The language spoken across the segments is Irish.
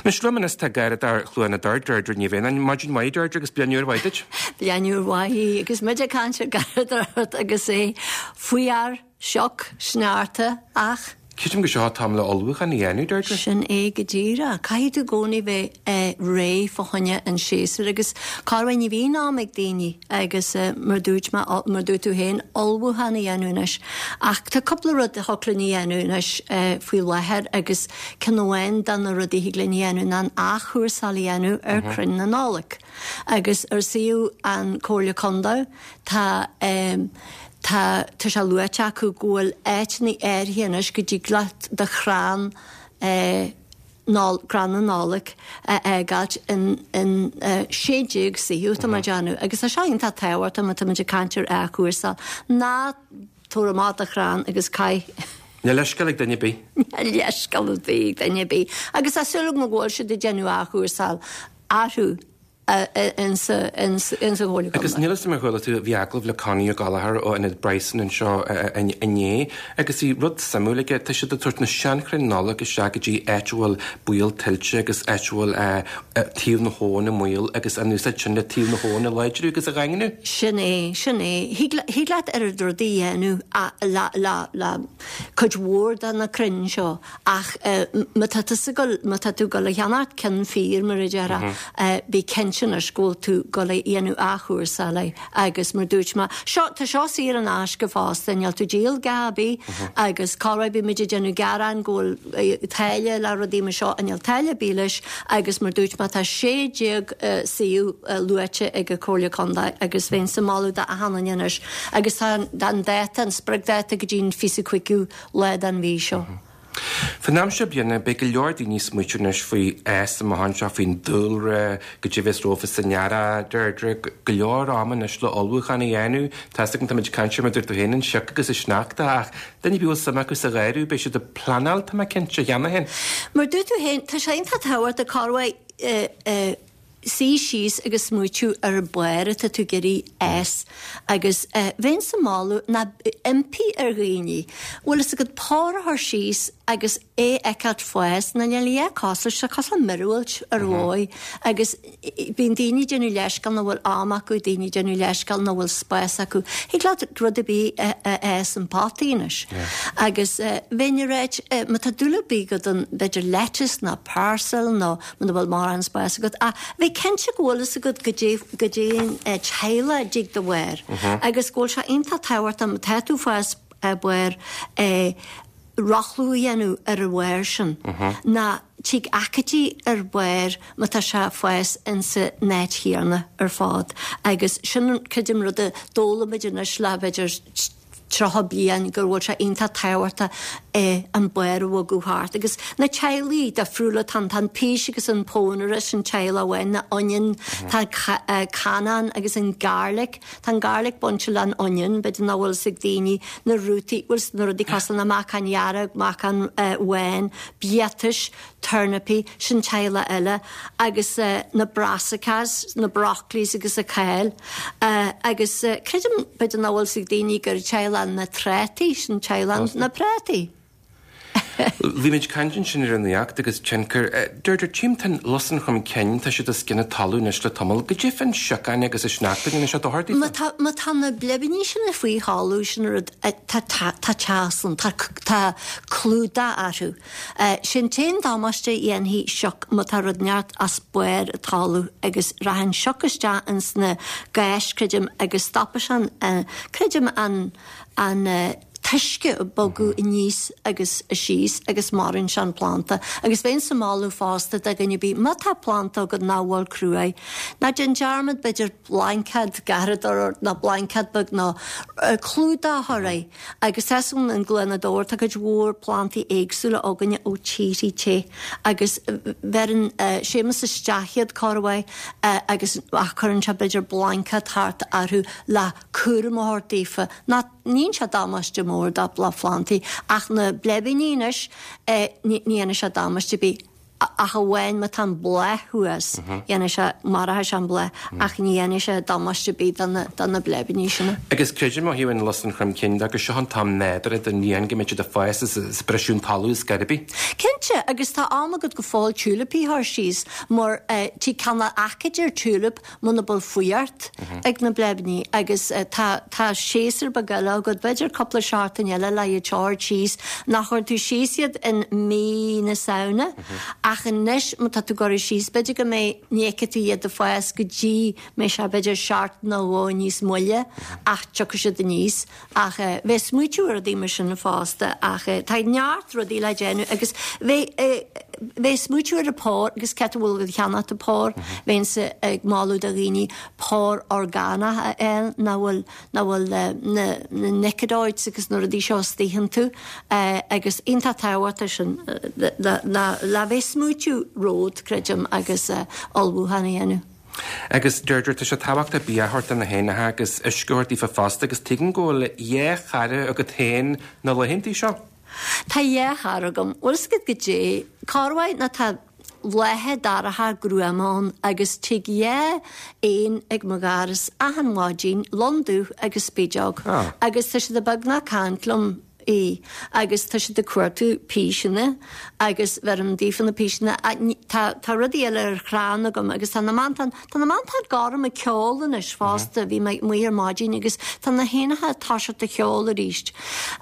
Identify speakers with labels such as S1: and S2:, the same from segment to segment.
S1: Anois liom anois tá Garradóir Chluain na dTor, Deirdre Ní Mhianáin. Maidin mhaith Deirdre agus bliain úr mhaith duit.
S2: Bliain úr mhaith agus muid ag caint ar garradóireacht agus é fuar, sioc, sneachta ach.
S1: Creidim gur seo an t-am le ullmhúchán a dhéanamh, Deirdre.
S2: Sin é go díreach. Caithfidh tú i gcónaí bheith réidh fá choinne an séasúr agus corruair ní bhíonn am ag daoine agus mar dúirt mé, mar dúirt tú féin, ullmhúchán a dhéanamh anois. Ach tá cúpla rud a thiocfadh linn a dhéanamh anois faoi láthair agus ceann amháin de na rudaí a thig linn a dhéanamh ná an athchúrsáil a dhéanamh ar crainn na Nollag. Agus ar suíomh an Comhairle Contae tá tá tá sé luaite acu go bhfuil áiteanna áirithe anois go dtig leat do chrann Noll crann na Nollag a fhágáilt in in 16 suíomh tá mé ag déanamh agus tá seo iontach tábhachtach má tá muid ag caint ar athchúrsáil. Ná tabhair amach do chrann agus caith
S1: Níl leithscéal ag duine ar bith.
S2: Níl leithscéal ar bith ag duine ar bith. Agus tá súil agam go bhfuil siad ag déanamh athchúrsáil orthu insa Chomhairle
S1: Contae. Agus níl a fhios agam ar chuala tú, bhí agallamh le Connie Ó Gallchóir ó Ionad Bryson anseo inné agus bhí rud suimiúil aige, tá siad ag tabhairt na seanchrainn Nollag isteach go dtí áit a bhfuil baol tuilte agus áit a bhfuil taobh na habhann i mbaol agus an úsáid sin le taobh na habhann a láidriú agus a dhaingniú.
S2: Sin é, sin é. Thig leat oiread rudaí a dhéanamh le cuid mhór de na crainn seo Ach má tá tusa ag goil, má tá tú ag goil a cheannacht ceann fíor, mar a déarfá, bí cinnte anois go bhfuil tú ag goil a dhéanamh athchúrsáil air agus mar dúirt mé, seo, tá seo saor in aisce fosta, níl tú ag díol a dhath ar bith agus corruair bíonn muid ag déanamh gearáin go bhfuil táille le rudaí mar seo, níl táille ar bith leis agus mar dúirt mé tá 16 suíomh luaite ag an Comhairle Contae agus bheinnse ag moladh do achan duine anois agus tá an dáta, an spriocdháta go dtí an 25ú lá den mhí seo.
S1: Faoin am seo bliana, beidh go leor daoine ag smaoitiú anois faoi fhás amach anseo, faoin dúlra, goidé a bheas rompu san earrach, Deirdre, go leor ama anois le ullmhúchán a dhéanamh. Tá's agam, táimid ag caint ar, mar a dúirt tú féin, an sioc agus an sneachta, ach duine ar bith a bhfuil suim acu sa gharradh, beidh siad ag pleanáil, tá mé cinnte, cheana féin.
S2: Mar dúirt tú féin, tá sé iontach tábhachtach corruair suí síos agus smaoitiú ar an barr atá tú ag iarraidh fhás agus bheinnse ag moladh ná impí ar dhaoine, bhfuil fhios agat barr a chur síos agus é a fheiceáilt fás, nó níl a dhath cosúil leis, tá cosúil le míorúilt ar dhóigh agus bíonn daoine ag déanamh leithscéal nach bhfuil am acu, daoine ag déanamh leithscéal nach bhfuil spás acu. Thig leat rud ar bith a fhás in potaí anois agus bheinn ag ráit má tá dúil ar bith agat ann b'fhéidir lettuce nó parsley nó muna bhfuil mórán spáis agat, ach bheith cinnte go bhfuil fhios agat goidé, goidé an teaghlach a dtig do bharr agus go bhfuil sé iontach tábhachtach má tá tú ag fás barr rothlú a dhéanamh ar an bharr sin ná tig aicídí ar bharr má tá sé ag fás insa áit chéanna ar fad agus sin creidim rud a d'fhoghlaim muid anois le b'fhéidir 30 bliain go bhfuil sé iontach tábhachtach an barr a bhogadh thart. Agus na teaghlaigh difriúla, tá an pís agus an pónaire, sin teaghlach amháin, na onion, tá canán agus an garlic, tá an garlic bainte le an onion, b'fhéidir nach bhfuil fhios ag daoine, na rútaí, bhfuil na rudaí cosúil le meacan dhearg, meacan bhán, biatais, turnapaí, sin teaghlach eile, agus na brassicas, na broccolis agus an cáil. Agus creidim, b'fhéidir nach bhfuil fhios ag daoine gur teaghlach na trátaí, sin teaghlach na prátaí.
S1: Bhí muid ag caint ansin ar an fhuacht agus tionchar. Deirdre, tchím tá an lus an chrom cinn, tá siad os cionn an talaimh anois le tamall. Goidé fán siocán agus an sneachta, an ndéanann sé dochar
S2: daofa? Má tá, má tá na bleibíní sin faoi thalamh, sin rud, tá, tá, tá teas ann, tá, tá clúdach orthu. Sé an t-aon damáiste a dhéanfaidh sioc má tá rud inteacht os barr an talamh agus rachaidh an sioc isteach ins na gais creidim agus stopfaidh sé an, creidim an, an t-uisce ag bogadh aníos agus síos agus maraíonn sé an planda. Agus bheinnse ag moladh fosta do dhuine ar bith má tá planda agat nach bhfuil cruaidh, ná déan dearmad b'fhéidir blaincéad garradóireacht nó blaincéad beag nó clúdach a chur air. Agus tá fhios agam i gCluain na Dobhair tá cuid mhór plantaí éagsúla againne ó tíorthaí te agus bheireann Séamus isteach iad corruair agus ach cuireann sé b'fhéidir blaincéad thart orthu le cúram a thabhairt daofa. Ná ní dhéanann sé damáiste mór do phlantaí ach na bleibíní anois ní dhéanann sé damáiste ar bith. Ach amháin má tá an bláth thuas, dhéanfaidh sé, maróidh sé an bláth, ach ní dhéanfaidh sé damáiste ar bith do na bleibiní sin.
S1: Agus creidim ó thaobh an lus an chromchinn de gur seo an t-am nádúrtha don bhliain go mbeidh siad ag fás is ag briseadh an talamh ar scor ar bith.
S2: Cinnte, agus tá am agat go fóill tiúilipí a chur síos, mar tig cineál aicíd ar tiúilip muna bhfuil fuireacht ag na bleibiní agus tá tá séasúr beag eile agat, b'fhéidir cúpla seachtain eile le iad seo a thabhairt síos, nach gcuireann tú síos iad in mí na Samhna ach anois má tá tú ag cur síos b'fhéidir go mbeidh, ní fheicfidh tú iad ag fás go dtí mbeidh sé b'fhéidir seachtain nó dhó níos moille ach tiocfaidh siad aníos. Ach bheith smaoitiú ar rudaí mar sin fosta ach tá neart rudaí le déanamh agus bheith bheith smaoitiú ar an pór agus cé a bhfuil agat cheannacht an pór, bheinnse ag moladh do dhaoine pór orgánach a fháil nach bhfuil nach bhfuil na na nicotinoids agus na rudaí seo istigh iontu agus iontach tábhachtach sin le le bheith smaoitiú romhat, creidim, agus ullmhúchán a dhéanamh.
S1: Agus Deirdre, tá sé tábhachtach bia a thabhairt do na héanacha agus uisce a thabhairt daofa fosta agus tuigim go bhfuil dhá chara agat féin na laethantaí seo.
S2: Tá dhá chara agam. Bhfuil fhios agat goidé, corruair nuair tá laetha dorcha gruama ann agus tig dhá éan ag mo dhoras achan mhaidin, lon dubh agus spideog, agus tá siad beagnach ag caint liom. í agus tá siad ag cuartú píseanna agus bheirim daofa na píseanna tá tá rudaí eile ar chrann agam agus tá na mantáin tá na mantáin gorm ag ceol anois fosta bhí mé amuigh ar maidin agus tá na héanacha ag toiseacht ag ceol arís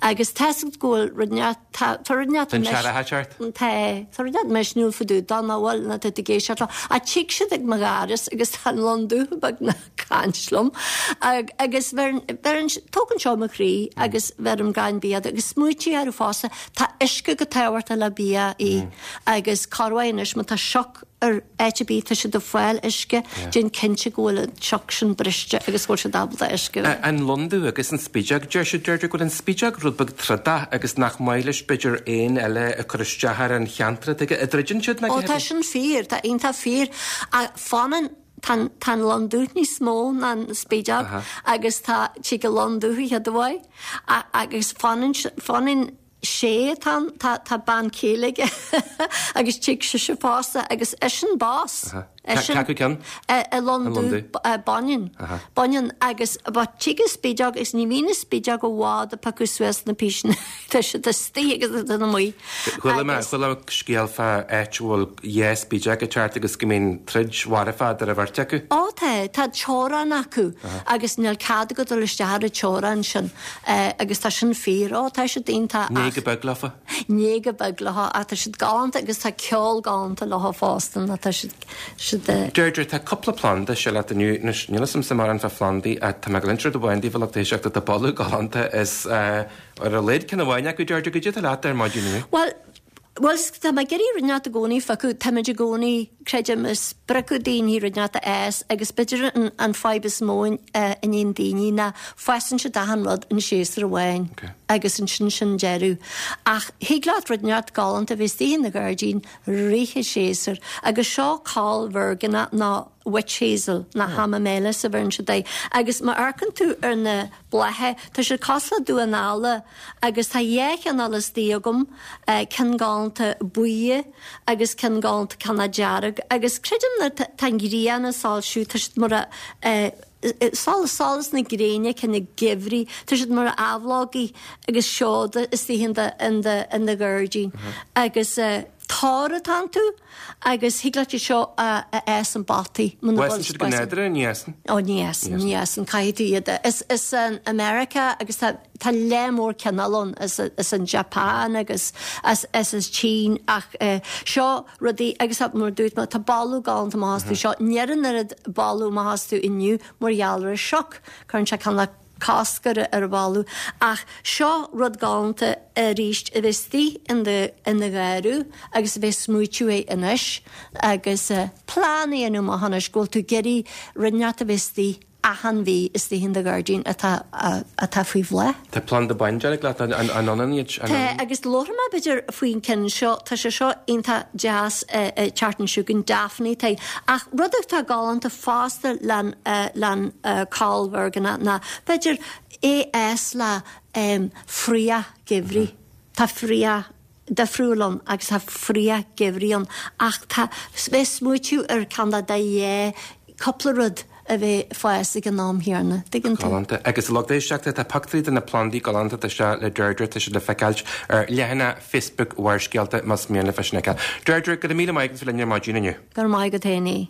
S2: agus tá fhios agat go bhfuil rud inteacht tá tá rud inteacht
S1: Tá an t-earrach ag teacht.
S2: Tá tá rud inteacht misniúil fá dtaobh dó nach bhfuil nuair atá tú ag éisteacht leo ach tig siad ag mo dhoras agus tá an lon dubh beagnach caint liom agus bheireann, tógann seo mo chroí agus bheirim gan bia agus smaoitigh orthu fosta, tá uisce go tábhachtach le bia í agus corruair anois má tá sioc ar áit ar bith tá siad ag fáil uisce, déan cinnte go bhfuil an sioc sin briste agus go bhfuil siad ábalta uisce a.
S1: An lon dubh agus an spideog, deir siad, deirtear go bhfuil an spideog rud beag trodach agus nach maith leis b'fhéidir éin eile ag cur isteach ar an cheantar atá aige, an dtroideann siad
S2: nó Ó tá sin fíor, tá iontach fíor ach fanann Tá tá an lon dubh níos mó ná an spideog agus tá tig an lon dubh an chéad uair agus fanann fanann sé atá ann tá tá bean chéile aige agus tig sise fosta agus eisean boss.
S1: Eisean Cé acu ceann?
S2: An lon dubh baineann baineann agus but tig an spideog agus ní bhíonn an spideog i bhfad ag piocadh suas na píseanna tá siad istigh agus tá amuigh.
S1: Chuala mé, chuala mé scéal fá áit a bhfuil dhá spideog ag teacht agus go mbíonn troid mharfach idir an bheirt acu.
S2: Ó tá, tá teorainn acu agus níl cead agat dul isteach ar an teorainn sin agus tá sin fíor. Ó tá siad iontach
S1: ach. Ní go beag leofa.
S2: Ní go beag leo ach tá siad galánta agus tá ceol galánta leo fosta nó tá siad, siad.
S1: Deirdre, tá cúpla planda seo leat inniu. Anois, níl 'fhios a'msa mórán fá phlandaí ach tá mé ag inse rud amháin daoibh a lucht éisteachta, tá boladh galánta is Ar a laghad ceann amháin acu, Deirdre, goidé atá leat ar maidin inniu.
S2: Bhuel, bhuel, tá mé ag iarraidh rud inteacht i gcónaí a phiocadh, táimid i gcónaí, creidim, ag spreagadh daoine rud inteacht a fhás agus b'fhéidir an, an fadhb is mó a níonn daoine ná fásann siad achan rud in séasúr amháin agus ansin sin deireadh. Ach thig leat rud inteacht galánta a bheith istigh in do ghairdín rith an séasúr agus seo coll mheirgneach nó witch hazel nó hamamelis a bheireann siad air agus má amharcann tú ar na blátha. Tá siad cosúil le damhán alla agus tá dhá chineál istigh agam, ceann galánta buí agus ceann galánta cineál dearg agus creidim nuair tá an ghrian ag soilsiú tá siad mar a solas na gréine cineál geimhridh, tá siad mar aibhleogaí agus seoda istigh in do in do in do ghairdín agus toradh atá iontu agus thig leat iad seo a fhás i bpotaí
S1: muna bhfuil Fásann siad go nádúrtha, ní fhásann?
S2: Ó ní fhásann, ní fhásann, caithfidh tú iad a, is, is in America agus tá, tá lear mór cineál ann, as, as an Japan agus as, as as tSín ach eh, seo rudaí agus tá, mar a dúirt mé, tá boladh galánta amach astu seo, níl an oiread boladh amach astu inniu mar gheall ar an sioc, cuireann sé cineál cosc ar an bholadh. Ach seo rud galánta arís a bheith istigh in do in do gharradh agus a bheith smaoitiú air anois agus plean a dhéanamh amach anois go bhfuil tú ag iarraidh rud inteacht a bheith istigh achan mhí istigh in do ghairdín atá atá faoi bhláth.
S1: Tá planda bándearg leat, an ionann iad?
S2: Tá, agus labharfaidh mé b'fhéidir faoin ceann seo, tá sé seo iontach deas ag teacht anseo chugainn, Daphne atá Ach rud atá galánta fosta len len coll mheirgneach ná b'fhéidir é a fhás le fraoch geimhridh. Tá fraoch. difriúil ann agus tá fraoch geimhridh ann ach tá, bheith smaoitiú ar ceann de dhá cúpla rud a bheith ag fás ag an am chéanna, tuigeann tú.
S1: Galánta. Agus a lucht éisteachta, tá pictiúirí de na plandaí galánta seo le Deirdre, tá siad le feiceáilt ar leathanach Facebook Bharrscéalta más mian libh é sin a fheiceáil. Deirdre, go raibh míle maith agat as bheith linn ar maidin inniu.
S2: Go raibh maith agat féin.